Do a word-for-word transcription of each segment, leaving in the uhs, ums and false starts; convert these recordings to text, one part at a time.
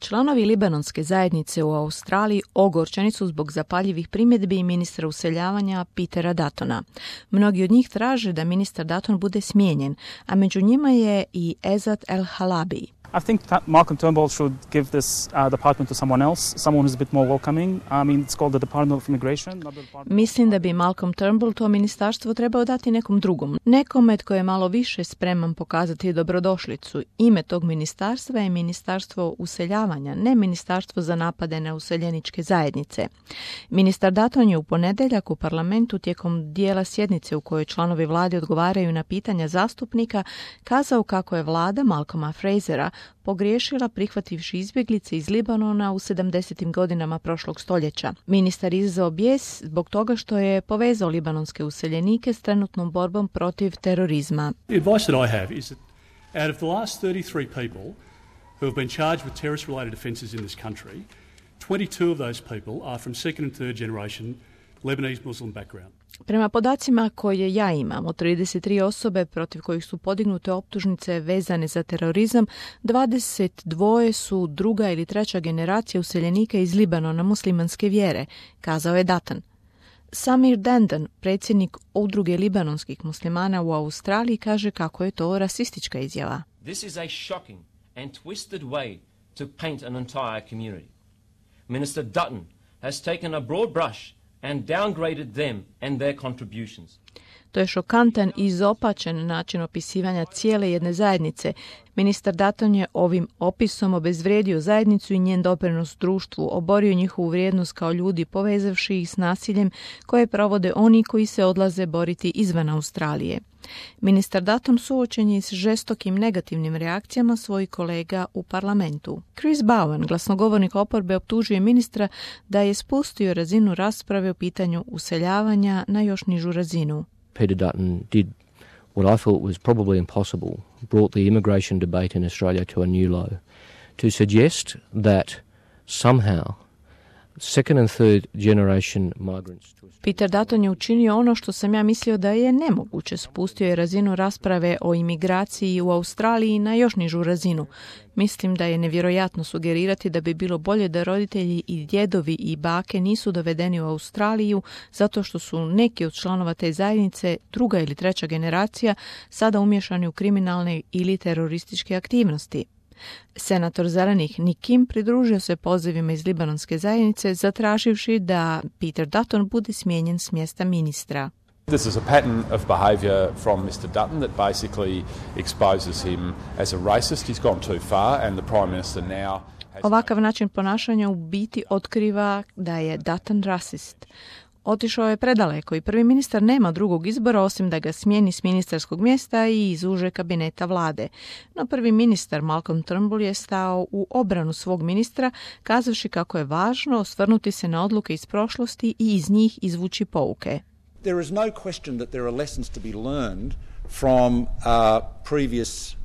Članovi libanonske zajednice u Australiji ogorčeni su zbog zapaljivih primjedbi ministra useljavanja Petera Duttona. Mnogi od njih traže da ministar Dutton bude smijenjen, a među njima je i Ezat El-Halabi. I think that Malcolm Turnbull should give this uh, department to someone else, someone who's a bit more welcoming. I mean, it's called the Department of Immigration. Not the Department Mislim da bi Malcolm Turnbull to ministarstvo trebao dati nekom drugom. Nekome tko je malo više spreman pokazati dobrodošlicu. Ime tog ministarstva je Ministarstvo useljavanja, ne Ministarstvo za napade na useljeničke zajednice. Ministar Dutton je u ponedjeljak u parlamentu tijekom dijela sjednice u kojoj članovi vlade odgovaraju na pitanja zastupnika kazao kako je vlada Malcolma Frasera pogriješila prihvativši izbjeglice iz Libanona u sedamdesetim godinama prošlog stoljeća. Ministar izazvao bijes zbog toga što je povezao libanonske useljenike s trenutnom borbom protiv terorizma. The advice that I have is that out of the last thirty-three people who have been charged with terrorist-related offences in this country, twenty-two of those people are from second and third generation Lebanese Muslim background. Prema podacima koje ja imam, od trideset tri osobe protiv kojih su podignute optužnice vezane za terorizam, dvadeset dva su druga ili treća generacija useljenika iz Libanona muslimanske vjere, kazao je Dutton. Samir Dandan, predsjednik Udruge libanonskih muslimana u Australiji, kaže kako je to rasistička izjava. This is a shocking and twisted way to paint an entire community. Minister Dutton has taken a broad brush and downgraded them and their contributions. To je šokantan i izopačen način opisivanja cijele jedne zajednice. Ministar Dutton je ovim opisom obezvrijedio zajednicu i njen doprinos društvu, oborio njihovu vrijednost kao ljudi, povezavši ih s nasiljem koje provode oni koji se odlaze boriti izvan Australije. Ministar Dutton suočen je s žestokim negativnim reakcijama svojih kolega u parlamentu. Chris Bowen, glasnogovornik oporbe, optužuje ministra da je spustio razinu rasprave o pitanju useljavanja na još nižu razinu. Peter Dutton did what I thought was probably impossible, brought the immigration debate in Australia to a new low. To suggest that somehow second and third generation migrants to Peter Dutton je učinio ono što sam ja mislio da je nemoguće. Spustio je razinu rasprave o imigraciji u Australiji na još nižu razinu. Mislim da je nevjerojatno sugerirati da bi bilo bolje da roditelji i djedovi i bake nisu dovedeni u Australiju zato što su neki od članova te zajednice, druga ili treća generacija, sada umješani u kriminalne ili terorističke aktivnosti. Senator zelenih Nick Kim pridružio se pozivima iz libanonske zajednice zatraživši da Peter Dutton bude smijenjen s mjesta ministra. This is a pattern of behaviour from mister Dutton that basically exposes him as a racist. He's gone too far and the Prime Minister now has... Ovakav način ponašanja u biti otkriva da je Dutton rasist. Otišao je predaleko i prvi ministar nema drugog izbora osim da ga smijeni s ministarskog mjesta i izuže kabineta vlade. No prvi ministar Malcolm Turnbull je stao u obranu svog ministra, kazavši kako je važno osvrnuti se na odluke iz prošlosti i iz njih izvući pouke. There is no question that there are lessons to be learned from uh, previous uh,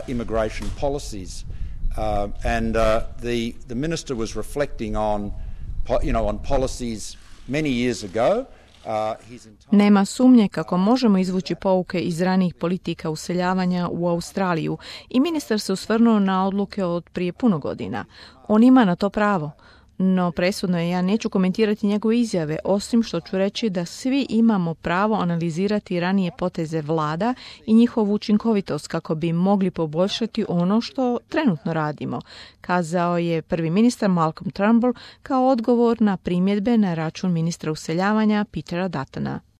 immigration policies. Uh, and uh, the, the minister was reflecting on, you know, on policies many years ago. Uh, his entire... Nema sumnje kako možemo izvući pouke iz ranijih politika useljavanja u Australiju i ministar se osvrnuo na odluke od prije puno godina. On ima na to pravo. No presudno je, ja neću komentirati njegove izjave, osim što ću reći da svi imamo pravo analizirati ranije poteze vlada i njihovu učinkovitost kako bi mogli poboljšati ono što trenutno radimo, kazao je prvi ministar Malcolm Turnbull kao odgovor na primjedbe na račun ministra useljavanja Petera Duttona.